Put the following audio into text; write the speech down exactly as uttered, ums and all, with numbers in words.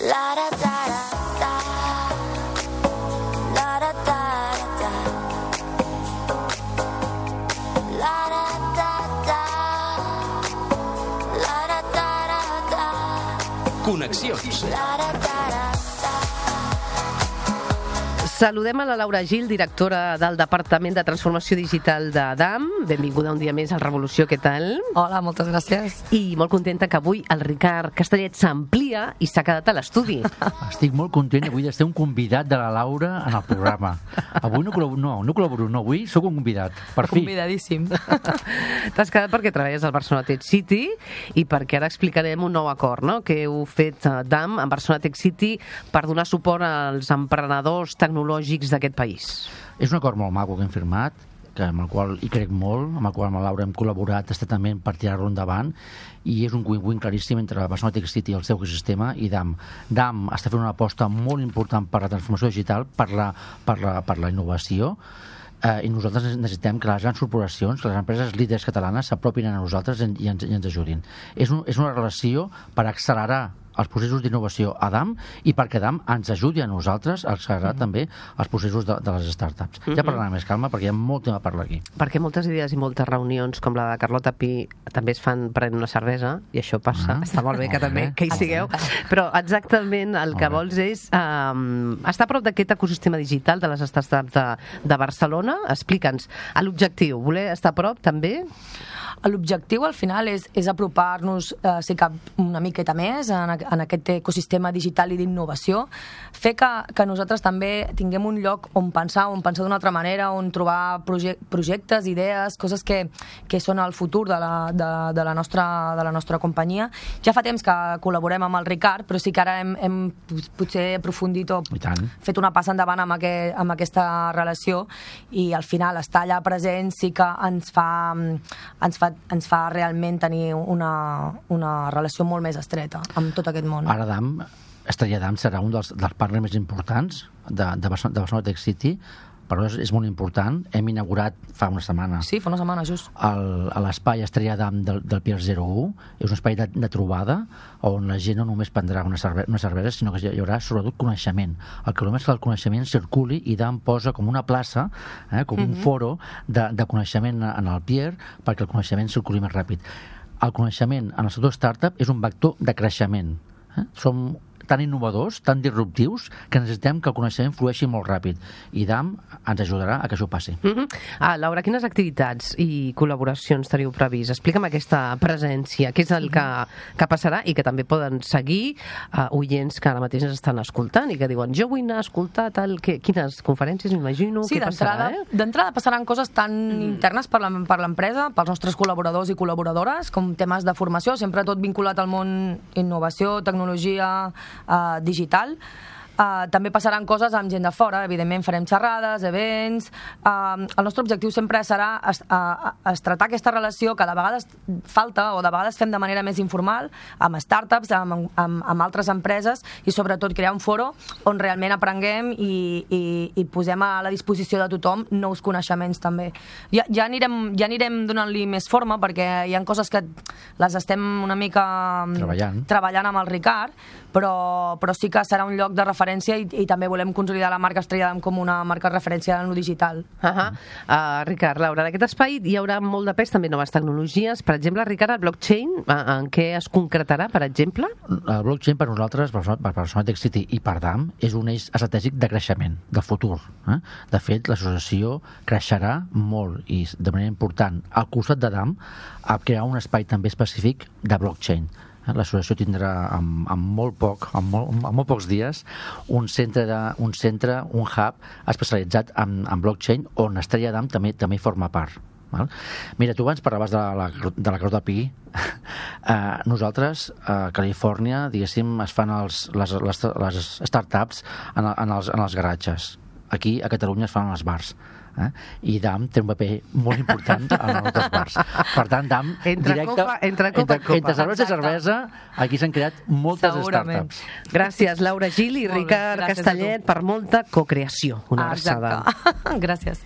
La da da da la da da da la da da da la da da da Connexions. la da da da. Saludem a la Laura Gil, directora del Departament de Transformació Digital d'Adam. Benvinguda un dia més al Revolució, què tal? Hola, moltes gràcies. I molt contenta que avui el Ricard Castellet s'amplia i s'ha quedat a l'estudi. Estic molt content avui d'estar un convidat de la Laura en el programa. Avui no col·laboro, no, no col·laboro, no, avui sóc un convidat, per fi. Convidadíssim. T'has quedat perquè treballes al Barcelona Tech City i perquè ara explicarem un nou acord, no?, que heu fet a Adam en Barcelona Tech City per donar suport als emprenedors tecnològics d'aquest país. És un acord molt maco que hem firmat, que amb el qual hi crec molt, amb el qual amb la Laura hem col·laborat estatament per tirar-lo endavant, i és un win-win claríssim entre Barcelona Tech City i el seu ecosistema i D A M. D A M està fent una aposta molt important per la transformació digital, per la, per la, per la innovació, eh, i nosaltres necessitem que les grans corporacions, que les empreses líders catalanes s'apropin a nosaltres i ens, i ens ajudin. És, un, és una relació per accelerar els processos d'innovació a D A M i perquè D A M ens ajudi a nosaltres a accelerar mm-hmm. també els processos de, de les startups. Mm-hmm. Ja parlarem més calma perquè hi ha molt tema a parlar aquí. Perquè moltes idees i moltes reunions com la de Carlota Pi també es fan prenent una cervesa i això passa. Ah, està molt bé que molt també bé. que hi sigueu. Però exactament el que vols és um, estar a prop d'aquest ecosistema digital de les startups de, de Barcelona. Explica'ns l'objectiu. Voler estar a prop també? L'objectiu al final és, és apropar-nos, eh, si cap, una miqueta més en, en aquest ecosistema digital i d'innovació, fer que, que nosaltres també tinguem un lloc on pensar, on pensar d'una altra manera, on trobar proje projectes, idees, coses que, que són el futur de la, de, de, la nostra, de la nostra companyia. Ja fa temps que col·laborem amb el Ricard, però sí que ara hem, hem potser aprofundit o fet una passa endavant amb, aquest, amb aquesta relació, i al final estar allà present sí que ens fa, ens fa ens fa realment tenir una, una relació molt més estreta amb tot aquest món. Ara D A M, Estrella D A M serà un dels, dels partners més importants de, de, Barcelona, de Barcelona Tech City, però és, és molt important. Hem inaugurat fa una setmana sí, fa una setmana just el, l'espai Estrella D A M del, del Pier zero u. És un espai de, de trobada on la gent no només prendrà una, cerve una cervesa, sinó que hi haurà sobretot coneixement. El que volem és que el coneixement circuli, i D A M posa com una plaça, eh, com mm-hmm. un foro de, de coneixement en el Pier perquè el coneixement circuli més ràpid. El coneixement en el sector startup és un vector de creixement. Eh? Som tan innovadors, tan disruptius, que necessitem que el coneixement flueixi molt ràpid. I D A M ens ajudarà a que això passi. Mm-hmm. ah, Laura, quines activitats i col·laboracions teniu previst? Explica'm aquesta presència, què és el que, que passarà i que també poden seguir uh, oients que ara mateix ens estan escoltant i que diuen, jo vull anar a escoltar tal... Que, quines conferències, m'imagino, sí, què passarà? Eh? D'entrada passaran coses tan mm. internes per l'empresa, pels nostres col·laboradors i col·laboradores, com temes de formació, sempre tot vinculat al món innovació, tecnologia, Uh, digital. Uh, també passaran coses amb gent de fora, evidentment farem xerrades, events. Uh, el nostre objectiu sempre serà es, uh, es tratar aquesta relació que de vegades falta o de vegades fem de manera més informal amb startups, amb, amb, amb altres empreses, i sobretot crear un foro on realment aprenguem i, i, i posem a la disposició de tothom nous coneixements també. Ja, ja anirem, ja anirem donant-li més forma perquè hi ha coses que les estem una mica treballant, treballant amb el Ricard, però, però sí que serà un lloc de referència i, i també volem consolidar la marca Estrella D A M com una marca de referència en lo digital. Uh -huh. uh, Ricard, Laura, en aquest espai hi haurà molt de pes també noves tecnologies. Per exemple, Ricard, el blockchain, uh, en què es concretarà, per exemple? El blockchain per nosaltres, per Barcelona Tech City i per D A M, és un eix estratègic de creixement, de futur. Eh? De fet, l'associació creixerà molt i de manera important al costat de D A M a crear un espai també específic de blockchain. L'associació tindrà amb, amb molt poc, amb molt, amb molt pocs dies, un centre, de, un, centre un hub especialitzat en, en blockchain on Estrella D A M també, també forma part. Val? Mira, tu abans parlaves de la, de la Carlota Pi. uh, nosaltres, a Califòrnia, diguéssim, es fan els, les, les, les startups en, en, els, en els garatges. Aquí, a Catalunya, es fan els bars. Eh? I D A M té un paper molt important en els bars. Per tant, D A M entre directe, copa, entre copa, entre, entre cervesa i cervesa, aquí s'han creat moltes Segurament. startups. Gràcies, Laura Gil i Ricard Castellet, per molta cocreació. Una abraçada. Gràcies.